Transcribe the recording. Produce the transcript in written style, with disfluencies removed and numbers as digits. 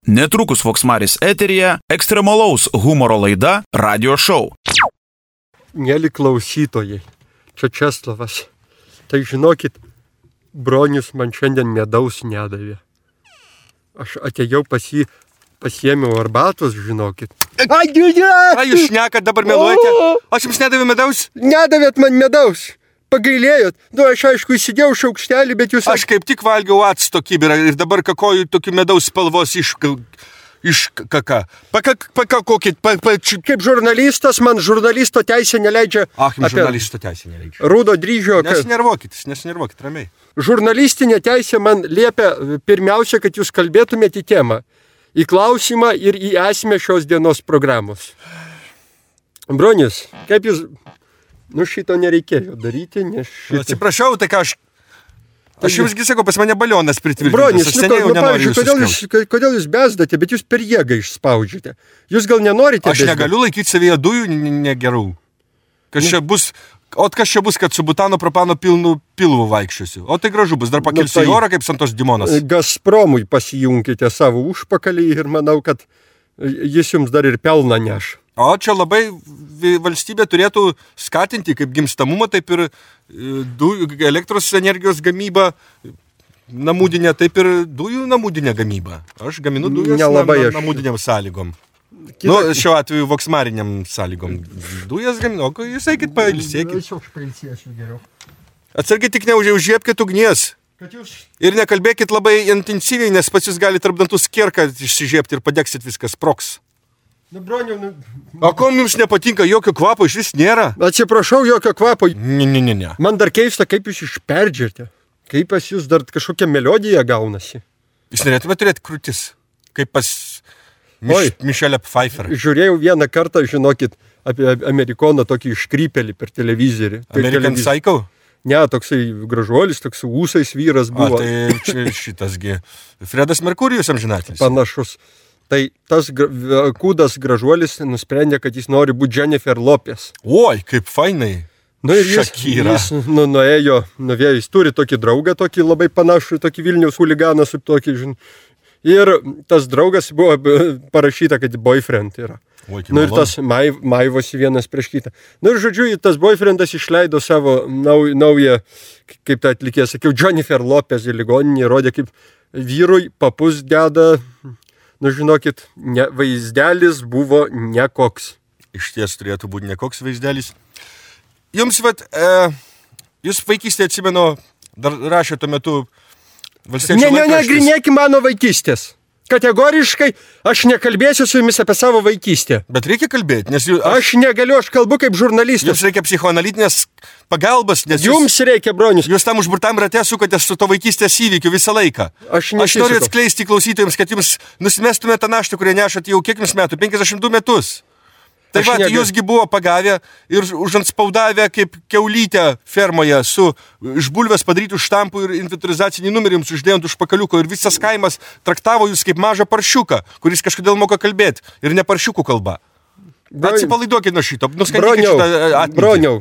Netrukus Voksmaris eteryje ekstremalaus humoro laida Radio Show. Mėly klausytojai, čia Česlavas. Tai žinokit, bronius man šiandien medaus nedavė. Aš atėjau pas jį, pasiėmiau arbatos, žinokit. Ką jūs šnekat, dabar meluojate? Aš jums nedavė medaus? Nedavėt man medaus. Pagailėjot. Aš aišku įsidėjau šaukštelį, bet jūs... Aš kaip tik valgiau acto kibirą ir dabar kakoju tokiu medaus spalvos iš kaka. Pakakokit. Kaip žurnalistas, man žurnalisto teisė neleidžia... Jums žurnalisto teisė neleidžia. Rūdo dryžio... Nesinervokit, ramiai. Žurnalistinė teisė man liepia pirmiausia, kad jūs kalbėtumėte į temą, į klausimą ir į esmę šios dienos programos. Bronius, kaip jūs... šito nereikėjo daryti, nes šito... Atsiprašau, tai ką aš jumsgi sakau, pas mane balionas pritvirtintas. Bronis, aš seniai nenoriu kodėl jūs bezdate, bet jūs per jėgą išspaudžiate. Jūs gal nenorite Aš negaliu laikyti savyje dujų negerų. Kas čia bus, kad su butano propano pilnu pilvu vaikščiosiu. O tai gražu bus, dar pakelsiu į orą kaip Santos Dimonas. Gazpromui pasijunkite savo užpakalį ir manau, kad jis jums dar ir pelną neš. O čia labai valstybė turėtų skatinti kaip gimstamumą, taip ir elektros energijos gamybą namudinę, taip ir dujų namudinę gamybą. Aš gaminu dujas namudiniam sąlygom. Šiuo atveju voksmariniam sąlygom. Dujas gaminu, o jūs eikit pailsėkit. Atsargiai tik neužžiepkit ugnies. Ir nekalbėkit labai intensyviai, nes pats jūs gali tarp dantų skierką išsižiepti ir padegsit viskas sprogs. O ko jums nepatinka, jokio kvapo iš vis nėra? Atsiprašau, jokio kvapo. Ne. Man dar keista, kaip jūs išperdžiate. Kaip pas jūs dar kažkokia melodija gaunasi. Jūs norėtume turėti krūtis, kaip pas Michelle Pfeiffer. Žiūrėjau vieną kartą, žinokit, apie amerikoną tokį iškrypelį per televizorių. American Psycho? Ne, toksai gražuolis, toks ūsais vyras buvo. Tai čia šitasgi Fredas Merkurijus amžinatilis. Panašus. Tai tas kūdas gražuolis nusprendė, kad jis nori būti Jennifer Lopez. Oi, kaip fainai. Šakira. Jis nuėjo, jis turi tokį draugą, tokį labai panašų, tokį Vilniaus huliganą su tokį, ir tas draugas buvo parašyta, kad boyfriend yra. Ir tas maivosi vienas prieš kitą. Ir žodžiu, tas boyfriendas išleido savo naują, kaip tai atlikė, sakiau, Jennifer Lopez į ligoninį, rodė, kaip vyrui papus deda... žinokit, vaizdelis buvo nekoks. Iš ties turėtų būti nekoks vaizdelis. Jums, jūs vaikystėje atsimenu, dar rašė tuo metu valstiečių laikraštis. Negrinėki mano vaikystės. Kategoriškai aš nekalbėsiu su jumis apie savo vaikystę. Bet reikia kalbėti, nes aš negaliu, aš kalbu kaip žurnalistas. Jums reikia psichoanalitinės pagalbos, nes jums reikia, bronius. Jūs tam užburtam rate sukatės su to vaikystės įvykiu visą laiką. Aš noriu atskleisti klausytojams, kad jums nusimestumėte tą naštą, kurią nešate jau kiek jums metų, 52 metus. Tai jūsgi buvo pagavę ir užantspaudavę kaip kiaulytę fermoje su iš bulvės padarytų štampų ir inventorizacinį numerį jums uždėjant už pakaliuko ir visas kaimas traktavo jūs kaip mažą paršiuką, kuris kažkodėl moka kalbėti ir ne paršiukų kalba. Atsipalaiduokit nuo šito. Broniau,